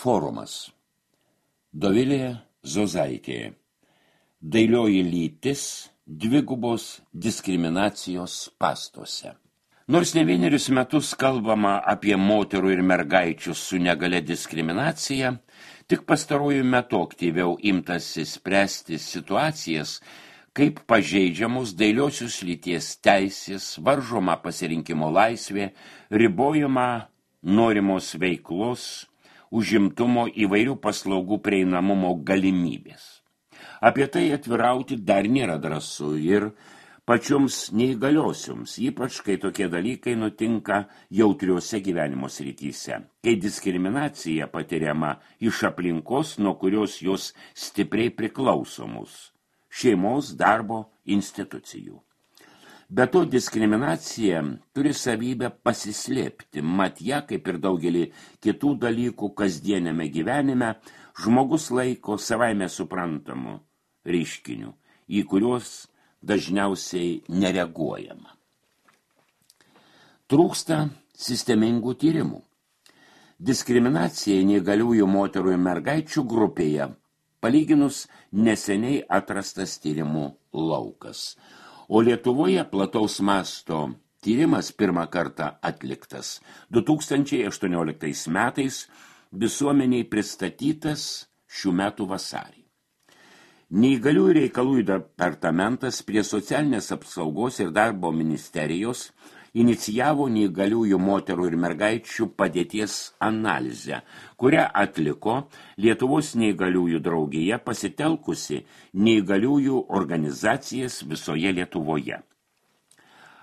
Forumas. Dovilė Zozaitė. Dailioji lytis dvigubos diskriminacijos spąstuose. Nors ne vienerius metus kalbama apie moterų ir mergaičių su negalia diskriminacija, tik pastaruoju metu aktyviau imtasi spręsti situacijas, kaip pažeidžiamos dailiosios lyties teisės, varžoma pasirinkimo laisvė, ribojama norimos veiklos, užimtumo įvairių paslaugų prieinamumo galimybės. Apie tai atvirauti dar nėra drąsu ir pačioms neįgaliosioms, ypač kai tokie dalykai nutinka jautriuose gyvenimo srityse, kai diskriminacija patiriama iš aplinkos, nuo kurios jos stipriai priklausomus, šeimos, darbo, institucijų. Be to, diskriminacija turi savybę pasislėpti, mat ją, kaip ir daugelį kitų dalykų kasdieniame gyvenime, žmogus laiko savaime suprantamu reiškiniu, į kuriuos dažniausiai nereaguojama. Trūksta sistemingų tyrimų. Diskriminacija neįgaliųjų moterų ir mergaičių grupėje palyginus neseniai atrastas tyrimų laukas. O Lietuvoje plataus masto tyrimas pirmą kartą atliktas 2018 metais, visuomeniai pristatytas šių metų vasarį. Neįgaliųjų reikalų departamentas prie Socialinės apsaugos ir darbo ministerijos inicijavo neįgaliųjų moterų ir mergaičių padėties analizę, kurią atliko Lietuvos neįgaliųjų draugija pasitelkusi neįgaliųjų organizacijas visoje Lietuvoje.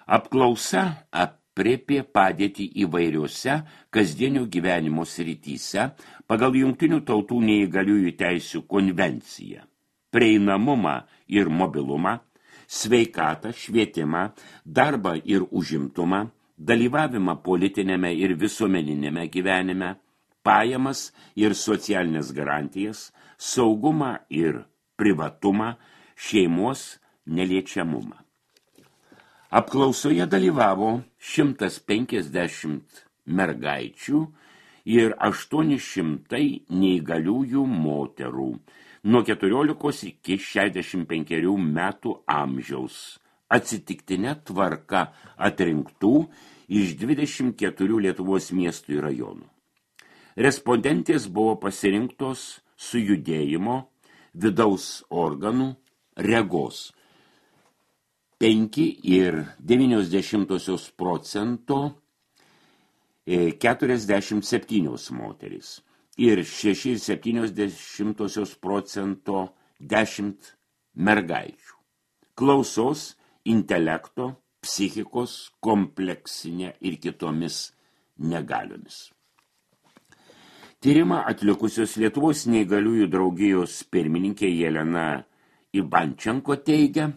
Apklausa aprėpė padėtį įvairiuose kasdienio gyvenimo srityse pagal Jungtinių tautų neįgaliųjų teisių konvenciją, prieinamumą ir mobilumą, sveikatą, švietimą, darbą ir užimtumą, dalyvavimą politinėme ir visuomeninėme gyvenime, pajamas ir socialinės garantijas, saugumą ir privatumą, šeimos neliečiamumą. Apklausoje dalyvavo 150 mergaičių ir 800 neįgaliųjų moterų nuo 14 iki 65 metų amžiaus, atsitiktinė tvarka atrinktų iš 24 Lietuvos miestų ir rajonų. Respondentės buvo pasirinktos su judėjimo, vidaus organų, regos 5,9% 47 moterys. Ir 6,7% 10 mergaičių. Klausos, intelekto, psichikos, kompleksinė ir kitomis negaliomis. Tyrimą atlikusios Lietuvos neįgaliųjų draugijos pirmininkė Jelena Ivančenko teigia,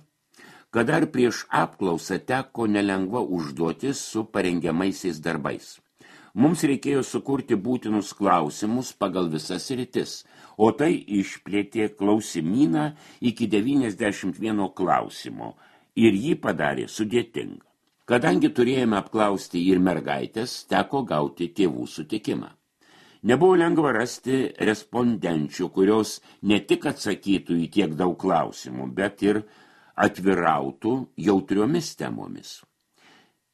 kad dar prieš apklausą teko nelengva užduotis su parengiamaisiais darbais. Mums reikėjo sukurti būtinus klausimus pagal visas sritis, o tai išplėtė klausimyną iki 91 klausimo ir jį padarė sudėtingą. Kadangi turėjome apklausti ir mergaitės, teko gauti tėvų sutikimą. Nebuvo lengva rasti respondenčių, kurios ne tik atsakytų į tiek daug klausimų, bet ir atvirautų jautriomis temomis.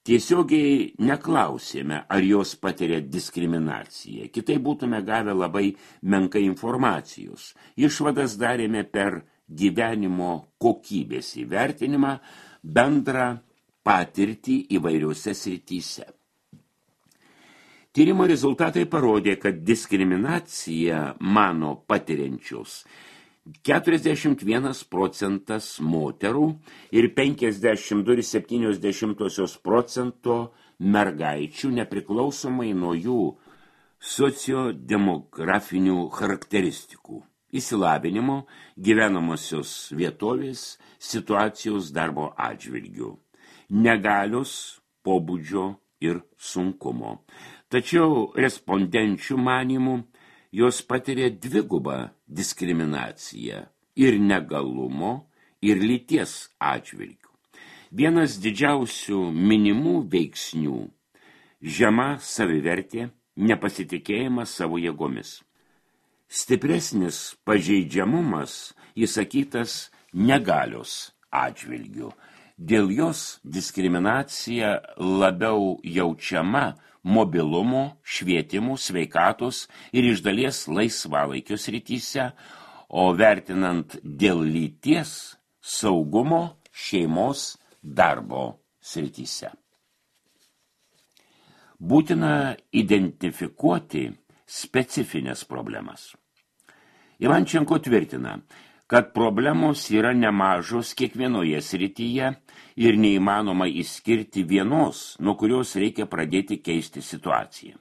Tiesiogiai neklausėme, ar jos patiria diskriminaciją. Kitai būtume gavę labai menkai informacijos. Išvadas darėme per gyvenimo kokybės įvertinimą, bendrą patirtį įvairiuose srityse. Tyrimo rezultatai parodė, kad diskriminaciją mano patiriančios 41% moterų ir 52,7% mergaičių nepriklausomai nuo jų sociodemografinių charakteristikų, išsilavinimo, gyvenamosios vietovės, situacijos darbo atžvilgių, negalios, pobūdžio ir sunkumo. Tačiau respondenčių manymų jos patiria dvigubą diskriminaciją ir negalumo, ir lyties atžvilgių. Vienas didžiausių minimų veiksnių – žema savivertė, nepasitikėjimas savo jėgomis. Stipresnis pažeidžiamumas įsakytas negalios atžvilgiu. Dėl jos diskriminacija labiau jaučiama mobilumo, švietimų, sveikatos ir iš dalies laisvalaikio srityse, o vertinant dėl lyties, saugumo, šeimos, darbo srityse. Būtina identifikuoti specifines problemas. Ivančenko tvirtina, kad problemos yra nemažos kiekvienoje srityje ir neįmanoma išskirti vienos, nuo kurios reikia pradėti keisti situaciją.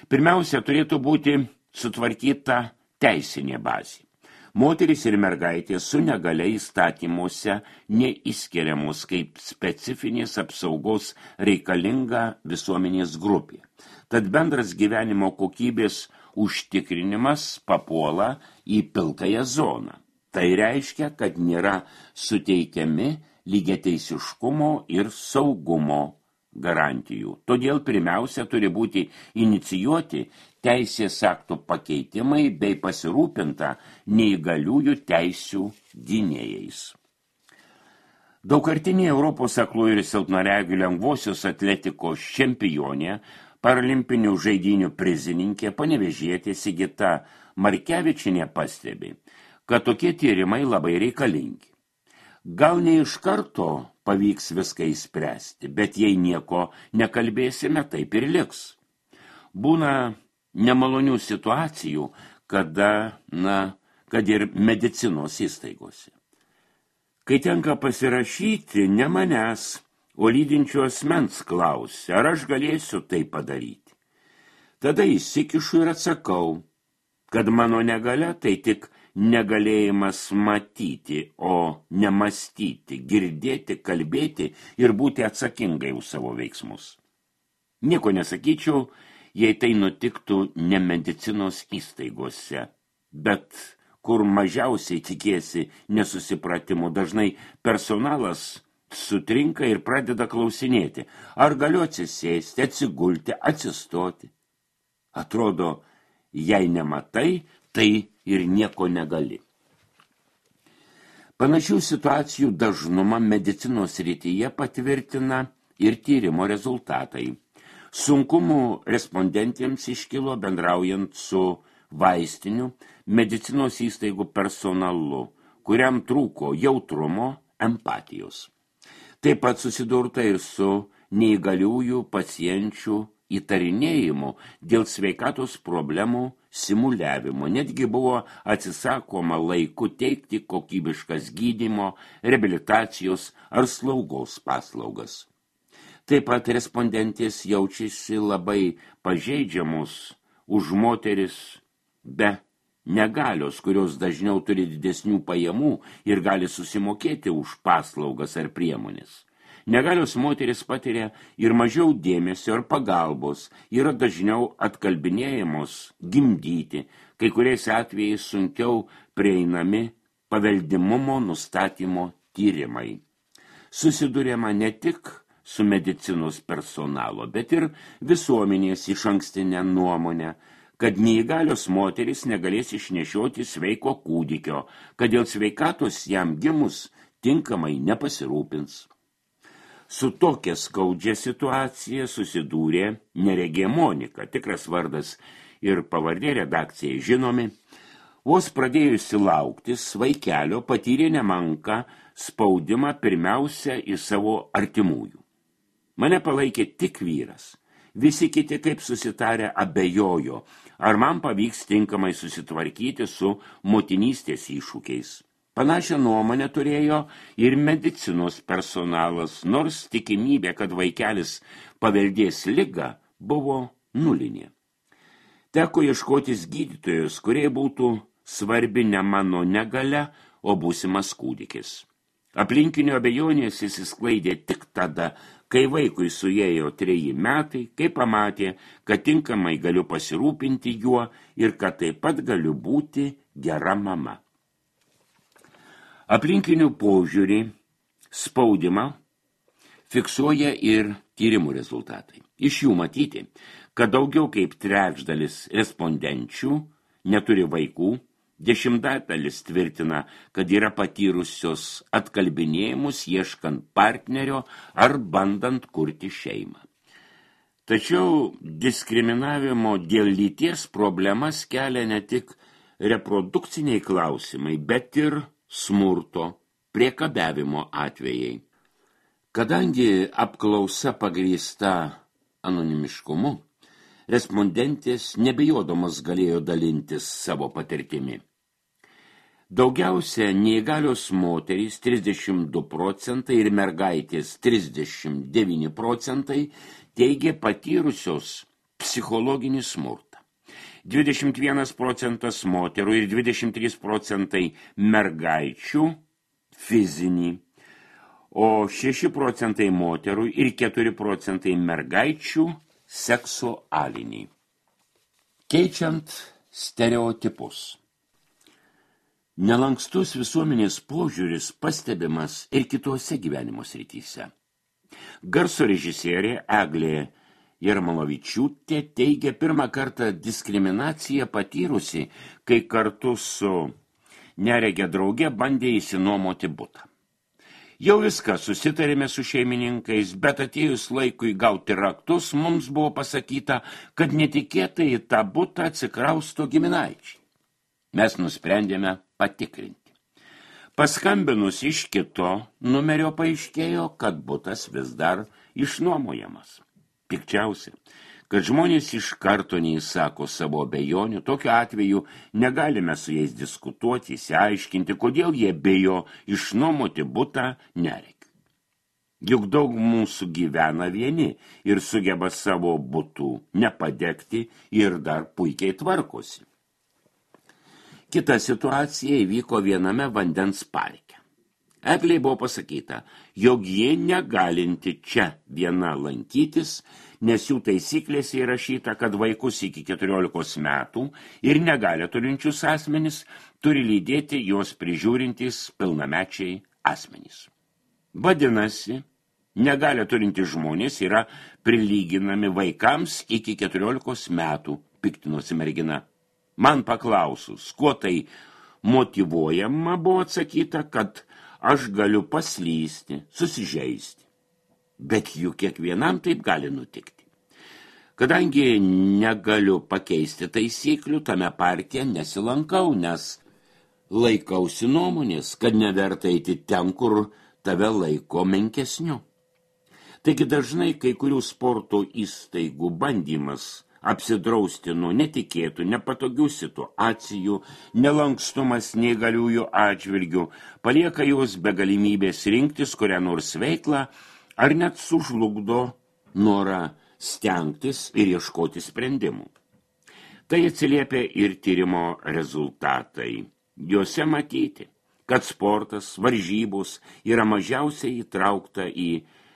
Pirmiausia, turėtų būti sutvarkyta teisinė bazė. Moterys ir mergaitės su negalia įstatymuose neįskiriamos kaip specifinės apsaugos reikalinga visuomenės grupė. Tad bendras gyvenimo kokybės užtikrinimas papuola į pilkąją zoną. Tai reiškia, kad nėra suteikiami lygiateisiškumo ir saugumo garantijų. Todėl pirmiausia turi būti inicijuoti teisės aktų pakeitimai bei pasirūpinta neįgaliųjų teisių gynėjais. Daugkartinė Europos aklųjų ir silpnaregių lengvosios atletikos čempionė, paralimpinių žaidynių prizininkė, panevėžietė Sigita Markevičienė pastebi, kad tokie tyrimai labai reikalingi. Gal ne iš karto pavyks viską įspręsti, bet jei nieko nekalbėsime, taip ir liks. Būna nemalonių situacijų, kad ir medicinos įstaigose. Kai tenka pasirašyti, ne manęs, o lydinčio asmens klausia, ar aš galėsiu tai padaryti. Tada įsikišu ir atsakau, kad mano negalia tai tik negalėjimas matyti, o nemastyti, girdėti, kalbėti ir būti atsakingai už savo veiksmus. Nieko nesakyčiau, jei tai nutiktų ne medicinos įstaigose, bet kur mažiausiai tikėsi nesusipratimų, dažnai personalas sutrinka ir pradeda klausinėti, ar galiu atsisėsti, atsigulti, atsistoti. Atrodo, jei nematai, tai ir nieko negali. Panašių situacijų dažnumą medicinos srityje patvirtina ir tyrimo rezultatai. Sunkumų respondentėms iškilo bendraujant su vaistiniu medicinos įstaigų personalu, kuriam trūko jautrumo, empatijos. Taip pat susidurta ir su neįgaliųjų pacienčių įtarinėjimu dėl sveikatos problemų simuliavimo. Netgi buvo atsisakoma laiku teikti kokybiškas gydymo, reabilitacijos ar slaugos paslaugas. Taip pat respondentės jaučiasi labai pažeidžiamos už moteris be negalios, kurios dažniau turi didesnių pajamų ir gali susimokėti už paslaugas ar priemonės. Negalios moteris patiria ir mažiau dėmesio ir pagalbos, yra dažniau atkalbinėjamos gimdyti, kai kuriais atvejais sunkiau prieinami paveldimumo nustatymo tyrimai. Susiduriama ne tik su medicinos personalo, bet ir visuomenės išankstinę nuomonę, kad neįgalios moteris negalės išnešioti sveiko kūdikio, kad dėl sveikatos jam gimus tinkamai nepasirūpins. Su tokia skaudžia situacija susidūrė neregė Monika, tikras vardas ir pavardė redakcijai žinomi. Vos pradėjusi lauktis, vaikelio patyrė nemenką spaudimą pirmiausia į savo artimųjų. Mane palaikė tik vyras. Visi kiti kaip susitarę abejojo, ar man pavyks tinkamai susitvarkyti su motinystės iššūkiais. Panašią nuomonę turėjo ir medicinos personalas, nors tikimybė, kad vaikelis paveldės ligą, buvo nulinė. Teko ieškotis gydytojus, kurie būtų svarbi ne mano negalia, o būsimas kūdikis. Aplinkinio abejonės išsisklaidė tik tada, kai vaikui suėjo 3 metai, kai pamatė, kad tinkamai galiu pasirūpinti juo ir kad taip pat galiu būti gera mama. Aplinkinių požiūrį, spaudimą fiksuoja ir tyrimų rezultatai. Iš jų matyti, kad daugiau kaip trečdalis respondenčių neturi vaikų, 10% tvirtina, kad yra patyrusios atkalbinėjimus ieškant partnerio ar bandant kurti šeimą. Tačiau diskriminavimo dėl lyties problemas kelia ne tik reprodukciniai klausimai, bet ir smurto, priekabiavimo atvejai. Kadangi apklausa pagrįsta anonimiškumu, respondentės nebijodamas galėjo dalintis savo patirtimi. Daugiausia neįgalios moterys 32% ir mergaitės 39% teigė patyrusios psichologinį smurtą. 21% moterų ir 23% mergaičių fizinį, o 6% moterų ir 4% mergaičių seksualinį. Keičiant stereotipus. Nelankstus visuomenės požiūris pastebimas ir kitose gyvenimo srityse. Garso režisierė Eglė Jarmalavičiūtė teigia pirmą kartą diskriminaciją patyrusi, kai kartu su neregė drauge bandė išsinuomoti butą. Jau viską susitarėme su šeimininkais, bet atėjus laikui gauti raktus, mums buvo pasakyta, kad netikėtai į tą butą atsikrausto giminaičiai. Mes nusprendėme patikrinti. Paskambinus iš kito numerio paaiškėjo, kad butas vis dar išnuomojamas. Pikčiausia, kad žmonės iš karto neįsako savo abejonių, tokiu atveju negalime su jais diskutuoti, išsiaiškinti, kodėl jie bijo išnuomoti butą neregiui. Juk daug mūsų gyvena vieni ir sugeba savo butų nepadegti ir dar puikiai tvarkosi. Kita situacija įvyko viename vandens parke. Eglei buvo pasakyta, jog jie negalinti čia viena lankytis, nes jų taisyklėse įrašyta, kad vaikus iki 14 metų ir negalią turinčius asmenys turi lydėti jos prižiūrintys pilnamečiai asmenys. Vadinasi, negalią turintys žmonės yra prilyginami vaikams iki 14 metų, piktinosi mergina. Man paklausus, kuo tai motyvuojama, buvo atsakyta, kad aš galiu paslysti, susižeisti. Bet juk kiekvienam taip gali nutikti. Kadangi negaliu pakeisti taisyklių, tame parke nesilankau, nes laikausi nuomonės, kad neverta eiti ten, kur tave laiko menkesniu. Taigi dažnai kai kurių sporto įstaigų bandymas apsidrausti nuo netikėtų, nepatogių situacijų, nelankstumas neįgaliųjų atžvilgių, palieka juos be galimybės rinktis kurią nors veiklą, ar net sužlugdo norą stengtis ir ieškoti sprendimų. Tai atsiliepia ir tyrimo rezultatai. Juose matyti, kad sportas, varžybos yra mažiausiai įtraukta į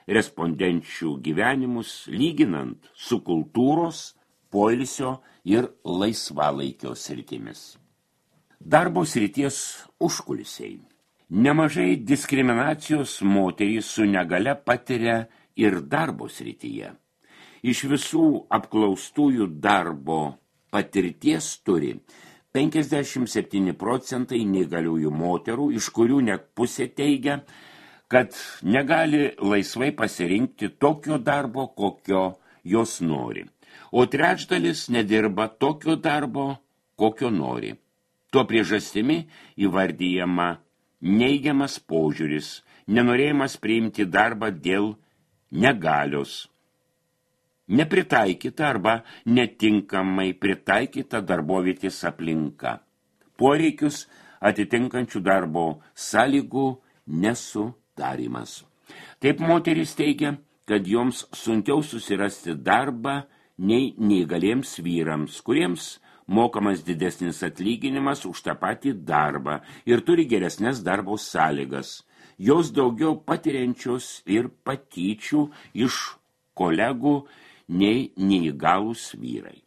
respondenčių gyvenimus, lyginant su kultūros, poilsio ir laisvalaikio sritimis. Darbo srities užkulisiai. Nemažai diskriminacijos moterys su negale patiria ir darbo srityje. Iš visų apklaustųjų darbo patirties turi 57% neįgaliųjų moterų, iš kurių net pusė teigia, kad negali laisvai pasirinkti tokio darbo, kokio jos nori. O trečdalis nedirba tokio darbo, kokio nori. Tuo priežastimi įvardyjama neigiamas požiūris, nenorėjimas priimti darbą dėl negalios, nepritaikyta arba netinkamai pritaikyta darbovietės aplinka, poreikius atitinkančių darbo sąlygų nesudarymas. Taip moteris teigia, kad joms sunkiau susirasti darbą nei neįgaliems vyrams, kuriems mokamas didesnis atlyginimas už tą patį darbą ir turi geresnes darbo sąlygas. Jos daugiau patiriančios ir patyčių iš kolegų nei neįgalūs vyrai.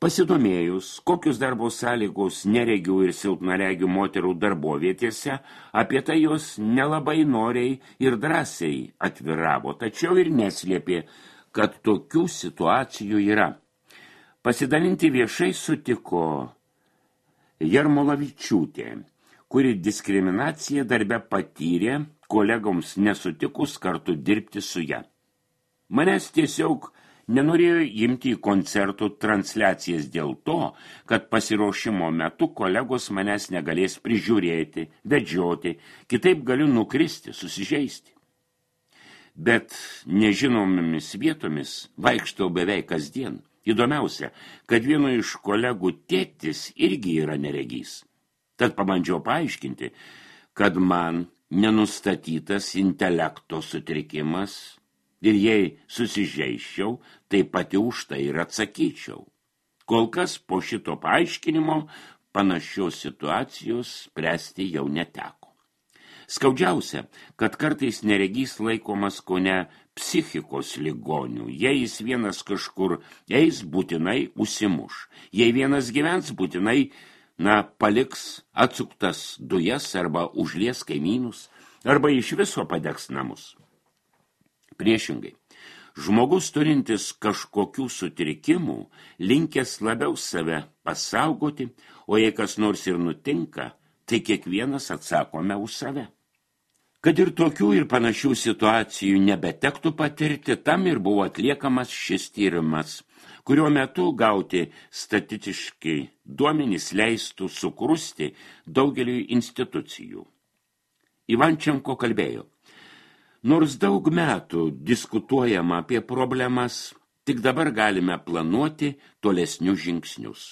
Pasidomėjus, kokius darbo sąlygos neregių ir silpnaregių moterų darbovietėse, apie tai jos nelabai noriai ir drąsiai atviravo, tačiau ir neslėpė, kad tokių situacijų yra. Pasidalinti viešai sutiko Jarmolavičiūtė, kuri diskriminaciją darbe patyrė, kolegoms nesutikus kartu dirbti su ja. Manęs tiesiog nenorėjo imti į koncertų transliacijas dėl to, kad pasiruošimo metu kolegos manęs negalės prižiūrėti, vedžioti, kitaip galiu nukristi, susižeisti. Bet nežinomomis vietomis vaikštau beveik kasdien. Įdomiausia, kad vieno iš kolegų tėtis irgi yra neregys. Tad pabandžiau paaiškinti, kad man nenustatytas intelekto sutrikimas ir jei susižeiščiau, tai pati už tai ir atsakyčiau. Kol kas po šito paaiškinimo panašios situacijos spręsti jau neteko. Skaudžiausia, kad kartais neregys laikomas kone psichikos ligonių. Jei jis vienas kažkur eis, būtinai užsimuš. Jei vienas gyvens, būtinai paliks atsuktas dujas arba užlies kaimynus, arba iš viso padegs namus. Priešingai, žmogus turintis kažkokių sutrikimų, linkęs labiau save pasaugoti, o jei kas nors ir nutinka, tai kiekvienas atsakome už save. Kad ir tokių ir panašių situacijų nebetektų patirti, tam ir buvo atliekamas šis tyrimas, kurio metu gauti statistiškai duomenys leistų sukrusti daugeliui institucijų. Ivančenko kalbėjo: nors daug metų diskutuojama apie problemas, tik dabar galime planuoti tolesnius žingsnius.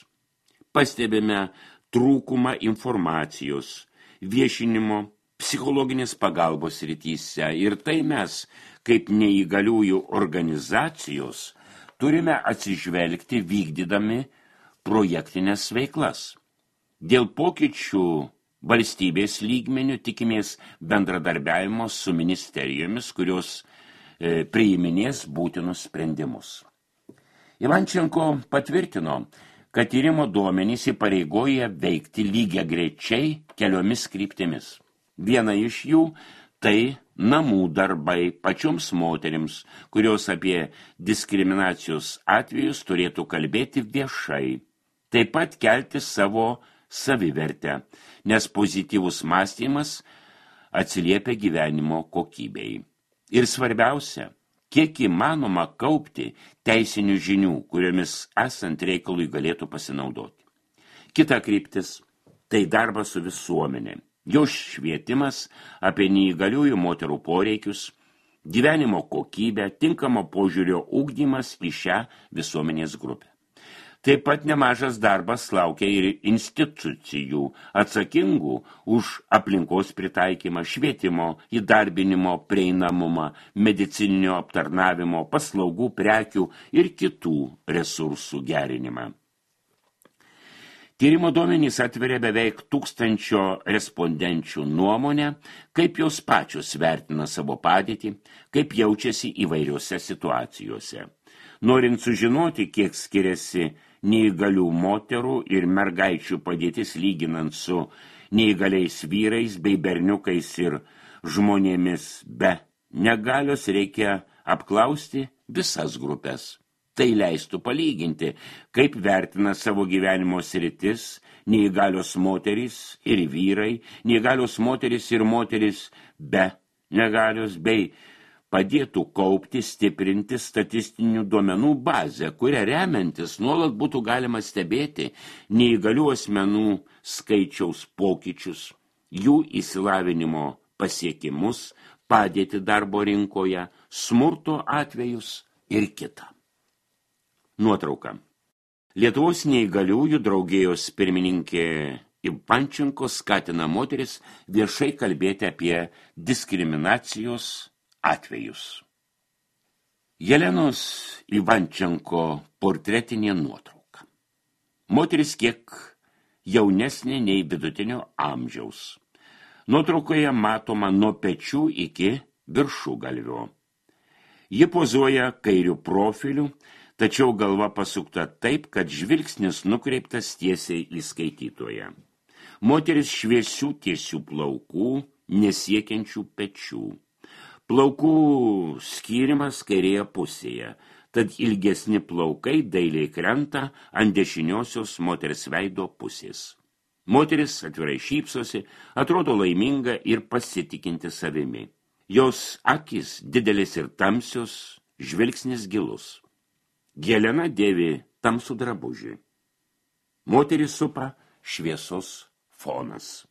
Pastebime trūkumą informacijos, viešinimo, psichologinės pagalbos srityse ir tai mes, kaip neįgaliųjų organizacijos, turime atsižvelgti vykdydami projektinės veiklas. Dėl pokyčių valstybės lygmenių tikimės bendradarbiavimo su ministerijomis, kurios priiminės būtinus sprendimus. Ivančenko patvirtino, kad tyrimo duomenys įpareigoja veikti lygiagrečiai keliomis kryptimis. Viena iš jų tai namų darbai pačioms moterims, kurios apie diskriminacijos atvejus turėtų kalbėti viešai. Taip pat kelti savo savivertę, nes pozityvus mąstymas atsiliepia gyvenimo kokybei. Ir svarbiausia, kiek įmanoma kaupti teisinių žinių, kuriomis esant reikalui galėtų pasinaudoti. Kita kryptis – tai darbas su visuomenė. Jo švietimas apie neįgaliųjų moterų poreikius, gyvenimo kokybę, tinkamo požiūrio ugdymas į šią visuomenės grupę. Taip pat nemažas darbas laukia ir institucijų atsakingų už aplinkos pritaikymą, švietimo, įdarbinimo, prieinamumą, medicininio aptarnavimo, paslaugų, prekių ir kitų resursų gerinimą. Tyrimo duomenys atveria beveik 1000 respondenčių nuomonę, kaip jos pačios vertina savo padėtį, kaip jaučiasi įvairiose situacijose. Norint sužinoti, kiek skiriasi neįgalių moterų ir mergaičių padėtis lyginant su neįgaliais vyrais bei berniukais ir žmonėmis be negalios, reikia apklausti visas grupės. Tai leistų palyginti, kaip vertina savo gyvenimo sritis neįgalios moterys ir vyrai, neįgalios moterys ir moterys be negalios, bei padėtų kaupti, stiprinti statistinių duomenų bazę, kurią remiantis nuolat būtų galima stebėti neįgalių asmenų skaičiaus pokyčius, jų išsilavinimo pasiekimus, padėti darbo rinkoje, smurto atvejus ir kitą. Nuotrauka. Lietuvos neįgaliųjų draugijos pirmininkė Ivančenko skatina moteris viešai kalbėti apie diskriminacijos atvejus. Jelenos Ivančenko portretinė nuotrauka. Moteris kiek jaunesnė nei vidutinio amžiaus. Nuotraukoje matoma nuo pečių iki viršugalvio. Ji pozuoja kairiu profiliu, tačiau galva pasukta taip, kad žvilgsnis nukreiptas tiesiai į skaitytoją. Moteris šviesių tiesių plaukų, nesiekiančių pečių. Plaukų skyrimas kairėje pusėje, tad ilgesni plaukai dailiai krenta ant dešiniosios moters veido pusės. Moteris atvirai šypsosi, atrodo laiminga ir pasitikinti savimi. Jos akys didelis ir tamsios, žvilgsnis gilus. Helena dėvi tamsų drabužį. Moterį supa šviesos fonas.